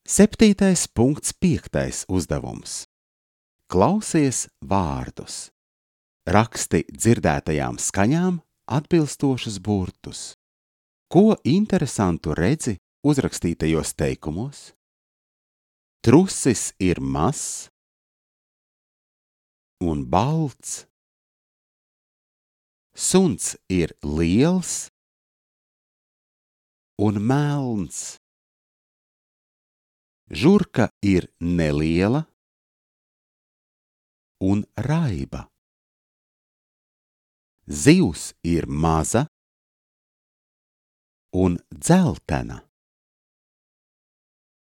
7.5. uzdevums. Klausies vārdus. Raksti dzirdētajām skaņām atbilstošus burtus. Ko interesantu redzi uzrakstītajos teikumos? Trusis ir mazs un balts. Suns ir liels un melns. Žurka ir neliela un raiba. Zivs ir maza un dzeltena.